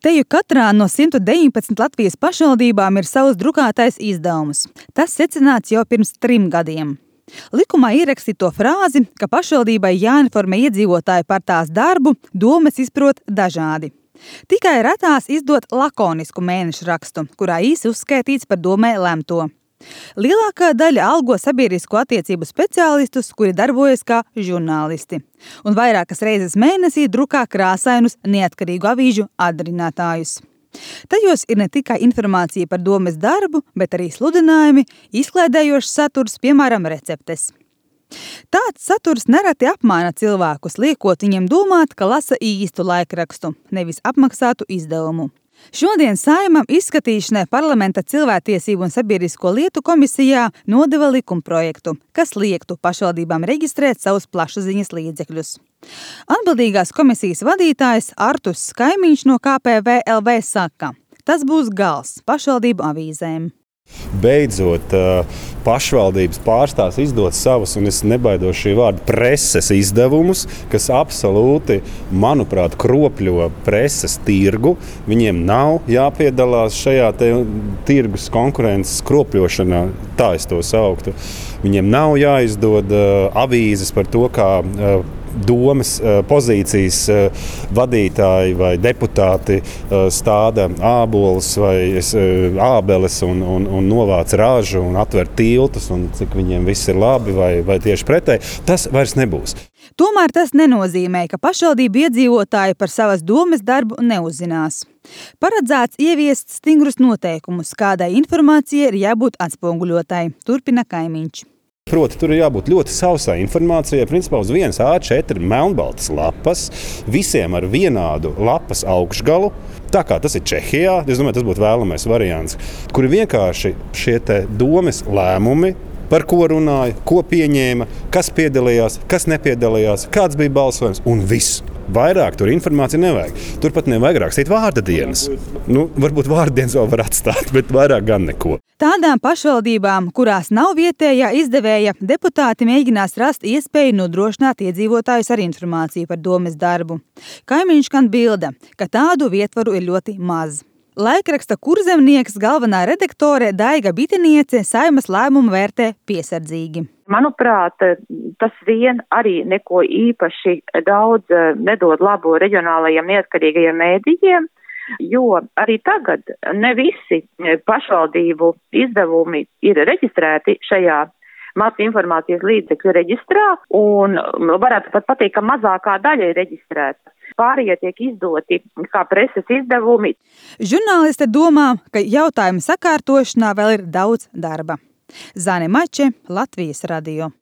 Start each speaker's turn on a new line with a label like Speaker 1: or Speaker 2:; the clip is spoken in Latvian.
Speaker 1: Teju katrā no 119 Latvijas pašvaldībām ir savs drukātais izdevums. Tas secināts jau pirms 3 gadiem. Likumā ierakstīto frāzi, ka pašvaldībai jāinformē iedzīvotāji par tās darbu, domas izprot dažādi. Tikai retās izdot lakonisku mēnešu rakstu, kurā īsi uzskaitīts par domē lemto. Lielākā daļa algo sabiedrisko attiecību speciālistus, kuri darbojas kā žurnālisti, un vairākas reizes mēnesī drukā krāsainus neatkarīgu avīžu atdarinātājus. Tajos ir ne tikai informācija par domes darbu, bet arī sludinājumi, izklaidējošs saturs, piemēram, receptes. Tāds saturs nereti apmāna cilvēkus, liekot viņiem domāt, ka lasa īstu laikrakstu, nevis apmaksātu izdevumu. Šodien Saeimam izskatīšanai Parlamenta cilvēktiesību un sabiedrisko lietu komisijā nodeva likumprojektu, kas liektu pašvaldībām reģistrēt savus plašsaziņas līdzekļus. Atbildīgās komisijas vadītājs Artus Kaimiņš no KPVLV saka, tas būs gals pašvaldību avīzēm.
Speaker 2: Beidzot, pašvaldības pārstās izdot savus, un es nebaidos šī vārda, preses izdevumus, kas absolūti, manuprāt, kropļo preses tirgu. Viņiem nav jāpiedalās šajā tirgus konkurences kropļošanā, tā es to sauktu. Viņiem nav jāizdod avīzes par to, kā domas pozīcijas vadītāji vai deputāti stāda ābolus vai ābeles un novāc ražu un atver tiltus un cik viņiem viss ir labi vai tieši pretēji. Tas vairs nebūs.
Speaker 1: Tomēr tas nenozīmē, ka pašvaldību iedzīvotāji par savas domes darbu neuzzinās. Paredzēts ieviest stingrus noteikumus, kādai informācijai ir jābūt atspoguļotai, turpina Kaimiņš.
Speaker 2: Proti, tur ir jābūt ļoti sausai informācijai, principā uz vienas A4 melnbaltas lapas, visiem ar vienādu lapas augšgalu, tā kā tas ir Čehijā, es domāju, tas būtu vēlamais variants, kur vienkārši šie domes lēmumi, par ko runāja, ko pieņēma, kas piedalījās, kas nepiedalījās, kāds bija balsojums un viss. Vairāk tur informācija nevajag. Turpat nevajag rakstīt vārda dienas. Varbūt vārda dienas vēl var atstāt, bet vairāk gan neko.
Speaker 1: Tādām pašvaldībām, kurās nav vietējā izdevēja, deputāti mēģinās rast iespēju nodrošināt iedzīvotājus ar informāciju par domes darbu. Kaimiņš gan bilda, ka tādu vietvaru ir ļoti maz. Laikraksta Kurzemnieks galvenā redaktore Daiga Bitiniece Saeimas lēmumu vērtē piesardzīgi.
Speaker 3: Manuprāt, tas vien arī neko īpaši daudz nedod labu reģionālajiem neatkarīgajiem mēdījiem, jo arī tagad ne visi pašvaldību izdevumi ir reģistrēti šajā masu informācijas līdzekļu reģistrā, un varētu pat pateikt, ka mazākā daļa ir reģistrēta. Pārējie tiek izdoti kā preses izdevumi.
Speaker 1: Žurnāliste domā, ka jautājumu sakārtošanā vēl ir daudz darba. Zane Mače, Latvijas radio.